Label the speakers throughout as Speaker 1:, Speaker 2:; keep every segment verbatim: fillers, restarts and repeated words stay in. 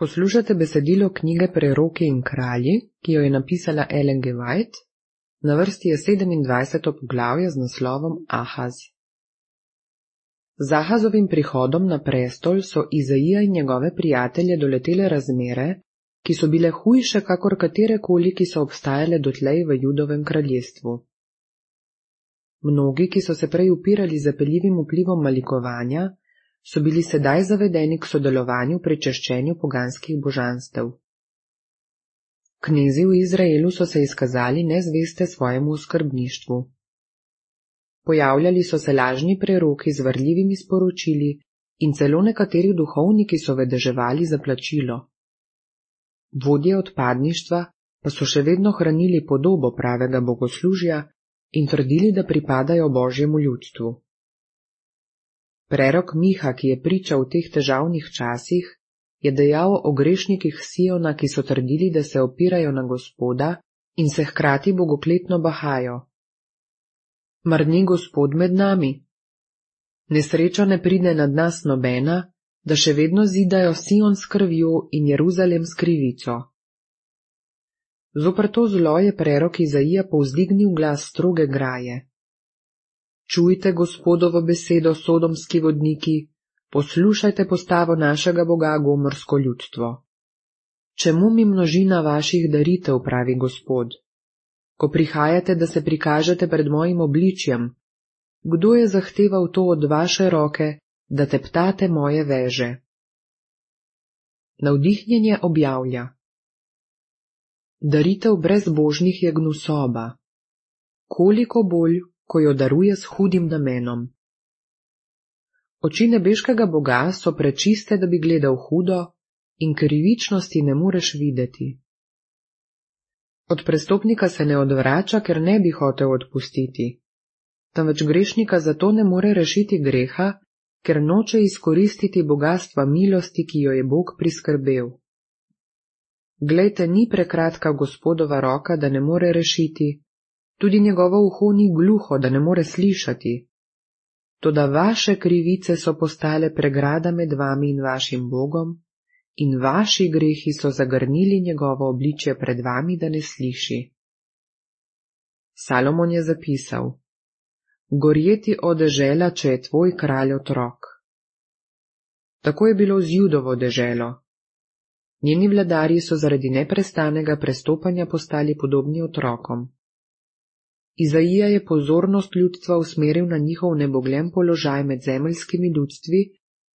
Speaker 1: Poslušate besedilo knjige Preroki in kralji, ki jo je napisala Ellen G. White. Na vrsti je sedemindvajseto poglavje z naslovom Ahaz. Z Ahazovim prihodom na prestol so Izaija in njegove prijatelje doletele razmere, ki so bile hujše kakor katerekoli, ki so obstajale dotlej v Judovem kraljestvu. Mnogi, ki so se prej upirali zapeljivim vplivom malikovanja, so bili sedaj zavedeni k sodelovanju pri češčenju poganskih božanstev. Knezi v Izraelu so se izkazali nezveste svojemu oskrbništvu. Pojavljali so se lažni preroki z varljivimi sporočili in celo nekateri duhovniki so vedeževali za plačilo. Vodje odpadništva pa so še vedno hranili podobo pravega bogoslužja in trdili, da pripadajo Božjemu ljudstvu. Prerok Miha, ki je pričal v teh težavnih časih, je dejal o grešnikih Siona, ki so trdili, da se opirajo na Gospoda in se hkrati bogokletno bahajo. Mar ni Gospod med nami? Nesreča ne pride nad nas nobena, da še vedno zidajo Sion s krvjo in Jeruzalem s krivico. Zoper to zlo je prerok Izaija povzdignil glas stroge graje. Čujte Gospodovo besedo, sodomski vodniki, poslušajte postavo našega Boga, gomorsko ljudstvo. Čemu mi množina vaših daritev, pravi Gospod? Ko prihajate, da se prikažete pred mojim obličjem, kdo je zahteval to od vaše roke, da teptate moje veže? Navdihnjenje objavlja. Daritev brezbožnih je gnusoba. Koliko bolj, ko jo daruje s hudim namenom. Oči nebeškega Boga so prečiste, da bi gledal hudo, in krivičnosti ne moreš videti. Od prestopnika se ne odvrača, ker ne bi hotel odpustiti, temveč grešnika zato ne more rešiti greha, ker noče izkoristiti bogastva milosti, ki jo je Bog priskrbel. Glejte, ni prekratka Gospodova roka, da ne more rešiti, tudi njegovo uho ni gluho, da ne more slišati. Toda vaše krivice so postale pregrada med vami in vašim Bogom, in vaši grehi so zagrnili njegovo obličje pred vami, da ne sliši. Salomon je zapisal: Gorjeti o dežela, če je tvoj kralj otrok. Tako je bilo z Judovo deželo. Njeni vladarji so zaradi neprestanega prestopanja postali podobni otrokom. Izaija je pozornost ljudstva usmeril na njihov nebogljen položaj med zemeljskimi ljudstvi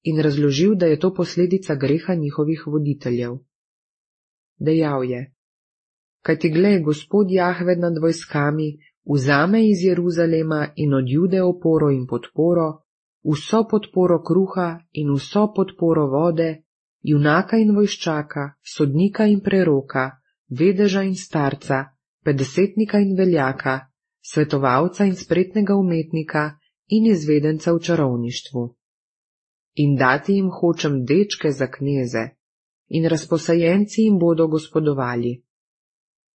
Speaker 1: in razložil, da je to posledica greha njihovih voditeljev. Dejal je: Kajti glej, Gospod Jahve nad vojskami vzame iz Jeruzalema in od Jude oporo in podporo, vso podporo kruha in vso podporo vode, junaka in vojščaka, sodnika in preroka, vedeža in starca, petdesetnika in veljaka, svetovalca in spretnega umetnika in izvedenca v čarovništvu. In dati jim hočem dečke za kneze, in razposajenci jim bodo gospodovali.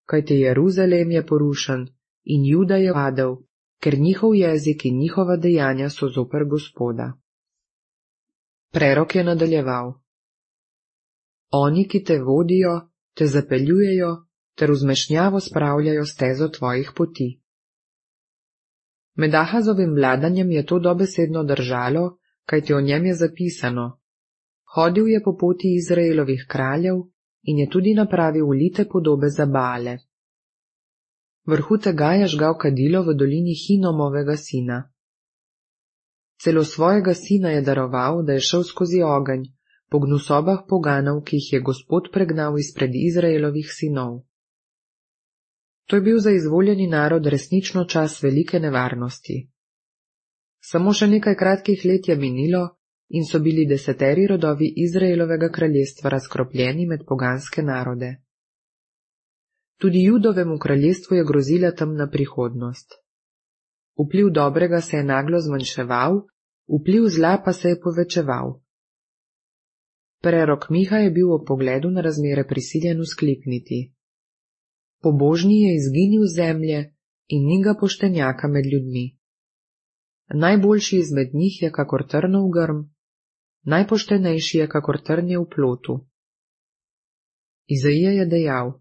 Speaker 1: Kajte Jeruzalem je porušen in Juda je padel, ker njihov jezik in njihova dejanja so zoper Gospoda. Prerok je nadaljeval. Oni, ki te vodijo, te zapeljujejo, ter v zmešnjavo spravljajo stezo tvojih poti. Med Ahazovim vladanjem je to dobesedno držalo, kajti o njem je zapisano: Hodil je po poti Izraelovih kraljev in je tudi napravil ulite podobe za Baale. Vrhu tega je žgal kadilo v dolini Hinomovega sina. Celo svojega sina je daroval, da je šel skozi ogenj, po gnusobah poganov, ki jih je Gospod pregnal izpred Izraelovih sinov. To je bil za izvoljeni narod resnično čas velike nevarnosti. Samo še nekaj kratkih let je minilo in so bili deseteri rodovi Izraelovega kraljestva razkropljeni med poganske narode. Tudi Judovemu kraljestvu je grozila temna prihodnost. Vpliv dobrega se je naglo zmanjševal, vpliv zla pa se je povečeval. Prerok Miha je bil ob pogledu na razmere prisiljen vzklikniti: Pobožni je izginil z zemlje in ni ga poštenjaka med ljudmi. Najboljši izmed njih je kakor trnov grm, najpoštenejši je kakor trnje v plotu. Izaija je dejal: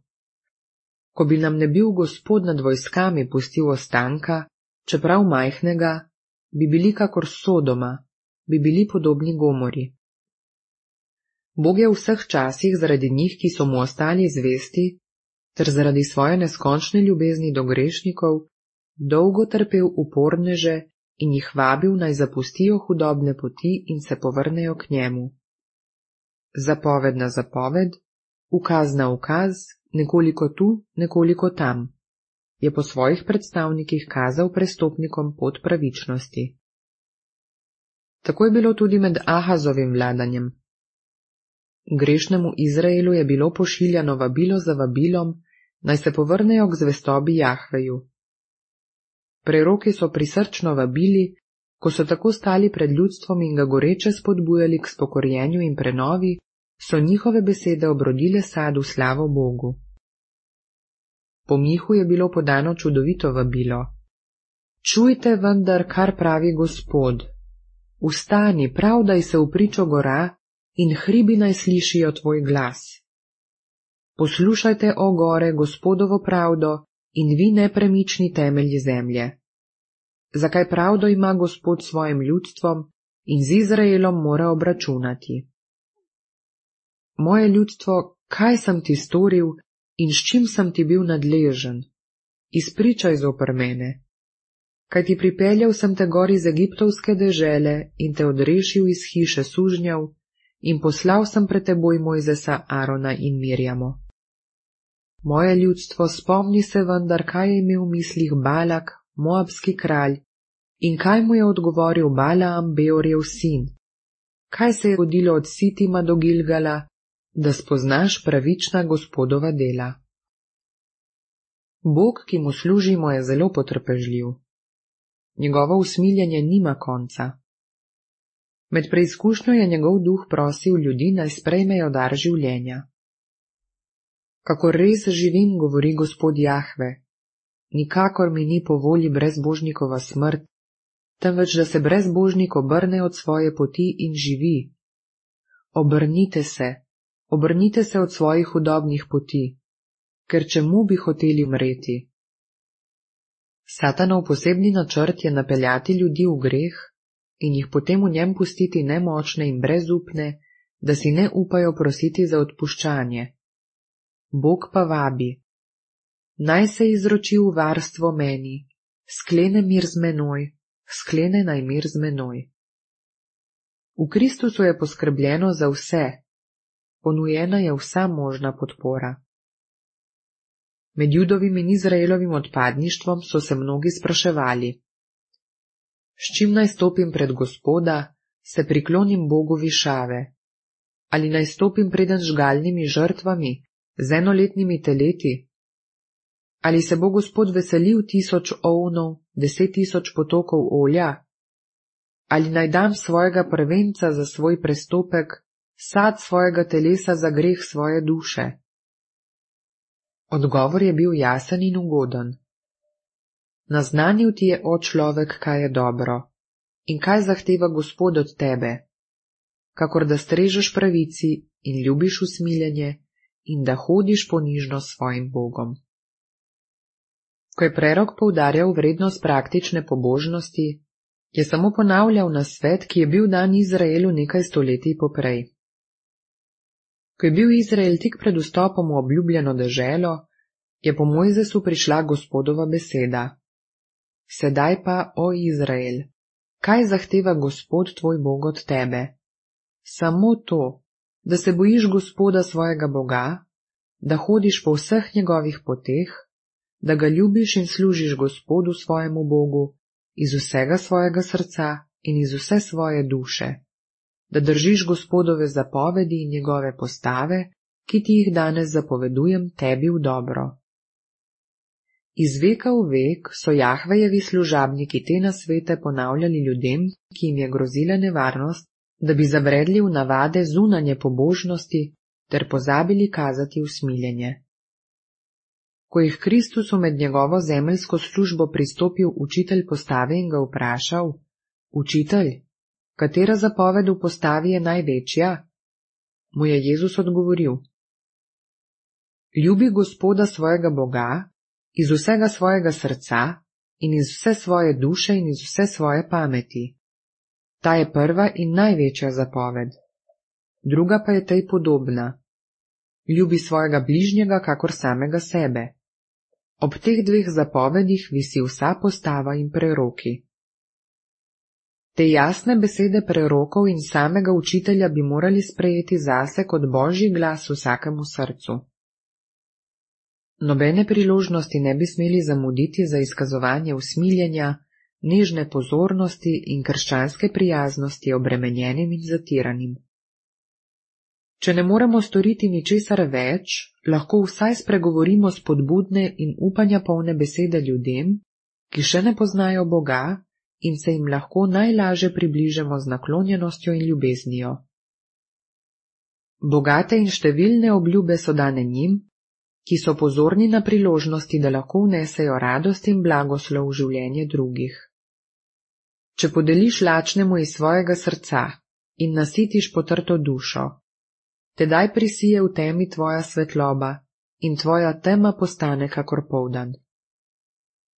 Speaker 1: Ko bi nam ne bil Gospod nad vojskami pustil ostanka, čeprav majhnega, bi bili kakor Sodoma, bi bili podobni Gomori. Bog je v vseh časih zaradi njih, ki so mu ostali zvesti, ter zaradi svoje neskončne ljubezni do grešnikov, dolgo trpel uporneže in jih vabil, naj zapustijo hudobne poti in se povrnejo k njemu. Zapoved na zapoved, ukaz na ukaz, nekoliko tu, nekoliko tam, je po svojih predstavnikih kazal prestopnikom pot pravičnosti. Tako je bilo tudi med Ahazovim vladanjem. Grešnemu Izraelu je bilo pošiljano vabilo za vabilom, naj se povrnejo k zvestobi Jahveju. Preroki so prisrčno vabili, ko so tako stali pred ljudstvom in ga goreče spodbujali k spokorjenju in prenovi, so njihove besede obrodile sad v slavo Bogu. Po Mihu je bilo podano čudovito vabilo. Čujte vendar, kar pravi Gospod. Vstani, pravdaj se v pričo gora in hribi naj slišijo tvoj glas. Poslušajte, o gore, Gospodovo pravdo in vi nepremični temelji zemlje. Zakaj pravdo ima Gospod s svojim ljudstvom in z Izraelom mora obračunati? Moje ljudstvo, kaj sem ti storil in s čim sem ti bil nadležen? Izpričaj zoper mene. Kaj ti pripeljal sem te gor iz egiptovske dežele in te odrešil iz hiše sužnjev in poslal sem pred teboj Mojzesa, Arona in Mirjamo. Moje ljudstvo, spomni se vendar, kaj je imel v mislih Balak, moabski kralj, in kaj mu je odgovoril Balaam, Beorjev sin. Kaj se je godilo od Sitima do Gilgala, da spoznaš pravična Gospodova dela. Bog, ki mu služimo, je zelo potrpežljiv. Njegovo usmiljenje nima konca. Med preizkušnjo je njegov duh prosil ljudi, naj sprejmejo dar življenja. Kako res živim, govori Gospod Jahve, nikakor mi ni po volji brezbožnikova smrt, temveč da se brezbožnik obrne od svoje poti in živi. Obrnite se, obrnite se od svojih hudobnih poti, ker čemu bi hoteli umreti? Satanov posebni načrt je napeljati ljudi v greh in jih potem v njem pustiti nemočne in brezupne, da si ne upajo prositi za odpuščanje. Bog pa vabi, naj se izroči v varstvo meni, sklene mir z menoj, sklene naj mir z menoj. V Kristusu je poskrbljeno za vse, ponujena je vsa možna podpora. Med Judovim in Izraelovim odpadništvom so se mnogi spraševali, s čim naj stopim pred Gospoda, se priklonim Bogu višave, ali naj stopim preden žgalnimi žrtvami, z enoletnimi teleti, ali se bo Gospod veselil tisoč ovnov, deset tisoč potokov olja, ali naj dam svojega prvenca za svoj prestopek, sad svojega telesa za greh svoje duše. Odgovor je bil jasen in ugoden. Naznanil ti je, o človek, kaj je dobro in kaj zahteva Gospod od tebe, kakor da strežeš pravici in ljubiš usmiljenje in da hodiš ponižno s svojim Bogom. Ko je prerok poudarjal vrednost praktične pobožnosti, je samo ponavljal nasvet, ki je bil dan Izraelu nekaj stoletij poprej. Ko je bil Izrael tik pred vstopom v obljubljeno deželo, je po Mojzesu prišla Gospodova beseda. Sedaj pa, o Izrael, kaj zahteva Gospod tvoj Bog od tebe? Samo to, da se bojiš Gospoda svojega Boga, da hodiš po vseh njegovih poteh, da ga ljubiš in služiš Gospodu svojemu Bogu iz vsega svojega srca in iz vse svoje duše, da držiš Gospodove zapovedi in njegove postave, ki ti jih danes zapovedujem tebi v dobro. Iz veka v vek so Jahvejevi služabniki te nasvete ponavljali ljudem, ki jim je grozila nevarnost, da bi zabredli v navade zunanje pobožnosti ter pozabili kazati usmiljenje. Ko jih Kristusu med njegovo zemeljsko službo pristopil učitelj postave in ga vprašal, učitelj, katera zapoved v postavi je največja? Mu je Jezus odgovoril, Ljubi Gospoda svojega Boga iz vsega svojega srca in iz vse svoje duše in iz vse svoje pameti. Ta je prva in največja zapoved. Druga pa je tej podobna. Ljubi svojega bližnjega kakor samega sebe. Ob teh dveh zapovedih visi vsa postava in preroki. Te jasne besede prerokov in samega učitelja bi morali sprejeti zase kot božji glas vsakemu srcu. Nobene priložnosti ne bi smeli zamuditi za izkazovanje usmiljenja, nežne pozornosti in krščanske prijaznosti obremenjenim in zatiranim. Če ne moremo storiti ničesar več, lahko vsaj spregovorimo spodbudne in upanja polne besede ljudem, ki še ne poznajo Boga in se jim lahko najlaže približamo z naklonjenostjo in ljubeznijo. Bogate in številne obljube so dane njim, ki so pozorni na priložnosti, da lahko vnesejo radost in blagoslov v življenje drugih. Če podeliš lačnemu iz svojega srca in nasitiš potrto dušo, tedaj prisije v temi tvoja svetloba in tvoja tema postane kakor poldan.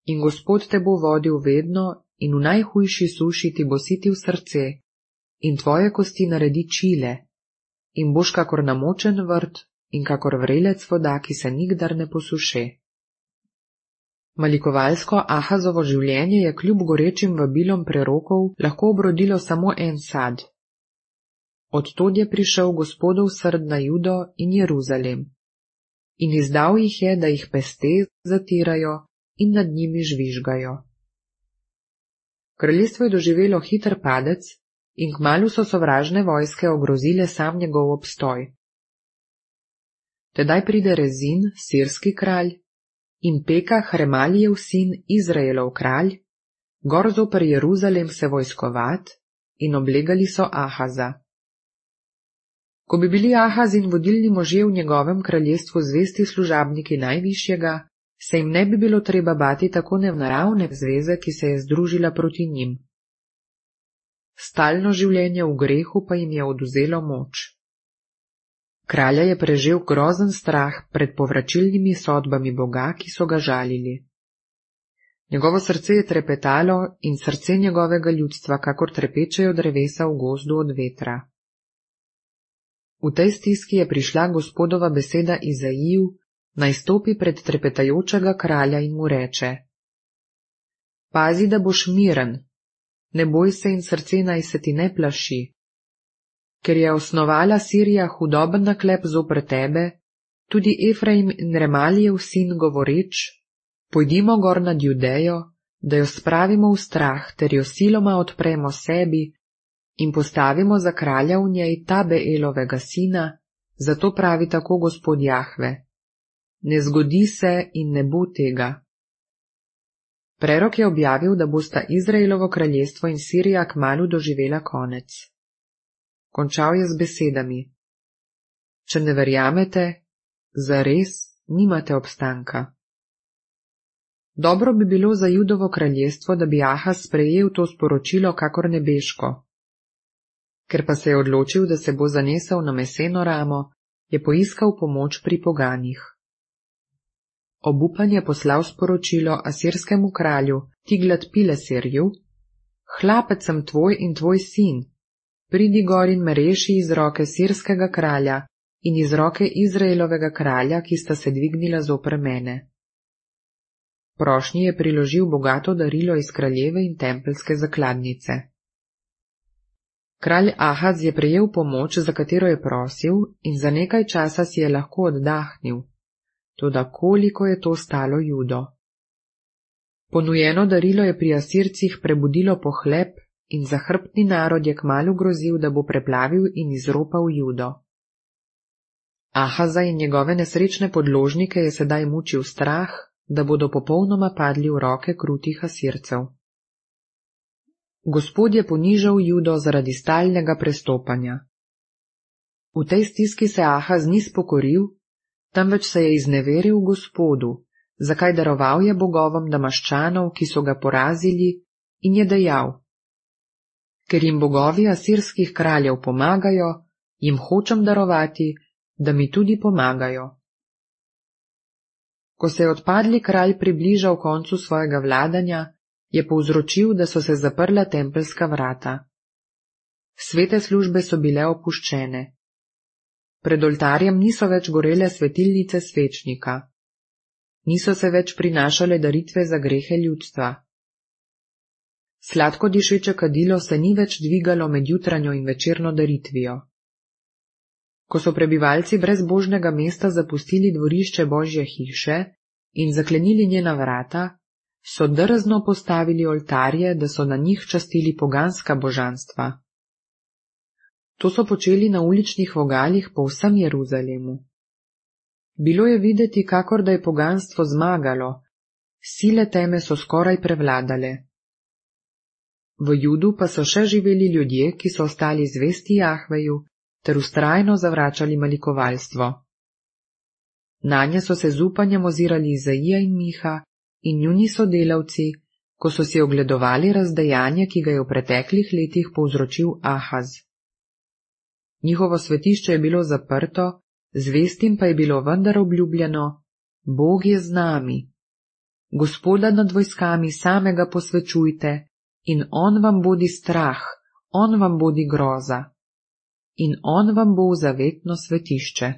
Speaker 1: In Gospod te bo vodil vedno in v najhujši suši ti bo sitil srce in tvoje kosti naredi čile in boš kakor namočen vrt in kakor vrelec voda, ki se nikdar ne posuše. Malikovalsko Ahazovo življenje je kljub gorečim vabilom prerokov lahko obrodilo samo en sad. Od tod je prišel Gospodov srd na Judo in Jeruzalem in izdal jih je, da jih peste zatirajo in nad njimi žvižgajo. Kraljestvo je doživelo hiter padec in kmalu so sovražne vojske ogrozile sam njegov obstoj. Tedaj pride Rezin, sirski kralj, in Peka, Remalijev sin, Izraelov kralj, gor zoper Jeruzalem se vojskovat in oblegali so Ahaza. Ko bi bili Ahaz in vodilni možje v njegovem kraljestvu zvesti služabniki najvišjega, se jim ne bi bilo treba bati tako nenaravne zveze, ki se je združila proti njim. Stalno življenje v grehu pa jim je odvzelo moč. Kralja je prežel grozen strah pred povračilnimi sodbami Boga, ki so ga žalili. Njegovo srce je trepetalo in srce njegovega ljudstva, kakor trepečejo drevesa v gozdu od vetra. V tej stiski je prišla Gospodova beseda Izaiju, naj stopi pred trepetajočega kralja in mu reče: Pazi, da boš miren, ne boj se in srce naj se ti ne plaši. Ker je osnovala Sirija hudoben naklep zoper tebe, tudi Efraim in Remalijev sin govoreč: Pojdimo gor nad Judejo, da jo spravimo v strah, ter jo siloma odpremo sebi in postavimo za kralja v njej Tabeelovega sina, zato pravi tako Gospod Jahve: Ne zgodi se in ne bo tega. Prerok je objavil, da bosta Izraelovo kraljestvo in Sirija kmalu doživela konec. Končal je z besedami: Če ne verjamete, zares nimate obstanka. Dobro bi bilo za Judovo kraljestvo, da bi Ahaz sprejel to sporočilo kakor nebeško. Ker pa se je odločil, da se bo zanesel na meseno ramo, je poiskal pomoč pri poganih. Obupan je poslal sporočilo asirskemu kralju Tiglat-Pileserju: Hlapec sem tvoj in tvoj sin, pridi gor in me reši iz roke sirskega kralja in iz roke Izraelovega kralja, ki sta se dvignila zoper mene. Prošnji je priložil bogato darilo iz kraljeve in tempelske zakladnice. Kralj Ahaz je prejel pomoč, za katero je prosil, in za nekaj časa si je lahko oddahnil, toda koliko je to stalo Judo. Ponujeno darilo je pri Asircih prebudilo pohlep in zahrbtni narod je kmalu grozil, da bo preplavil in izropal Judo. Ahaza in njegove nesrečne podložnike je sedaj mučil strah, da bodo popolnoma padli v roke krutih Asircev. Gospod je ponižal Judo zaradi stalnega prestopanja. V tej stiski se Ahaz ni spokoril, temveč se je izneveril Gospodu, zakaj daroval je bogovom Damaščanov, ki so ga porazili, in je dejal: Ker jim bogovi asirskih kraljev pomagajo, jim hočem darovati, da mi tudi pomagajo. Ko se je odpadli kralj približal koncu svojega vladanja, je povzročil, da so se zaprla tempeljska vrata. Svete službe so bile opuščene. Pred oltarjem niso več gorele svetilnice svečnika. Niso se več prinašale daritve za grehe ljudstva. Sladko dišeče kadilo se ni več dvigalo med jutranjo in večerno daritvijo. Ko so prebivalci brezbožnega mesta zapustili dvorišče Božje hiše in zaklenili njena vrata, so drzno postavili oltarje, da so na njih častili poganska božanstva. To so počeli na uličnih vogalih po vsem Jeruzalemu. Bilo je videti, kakor da je poganstvo zmagalo, sile teme so skoraj prevladale. V Judu pa so še živeli ljudje, ki so ostali zvesti Jahveju ter vztrajno zavračali malikovalstvo. Nanje so se z upanjem ozirali Izaija in Miha in njuni sodelavci, ko so si ogledovali razdejanje, ki ga je v preteklih letih povzročil Ahaz. Njihovo svetišče je bilo zaprto, zvestim pa je bilo vendar obljubljeno: Bog je z nami. Gospoda nad vojskami samega posvečujte in on vam bodi strah, on vam bodi groza in on vam bo v zavetno svetišče.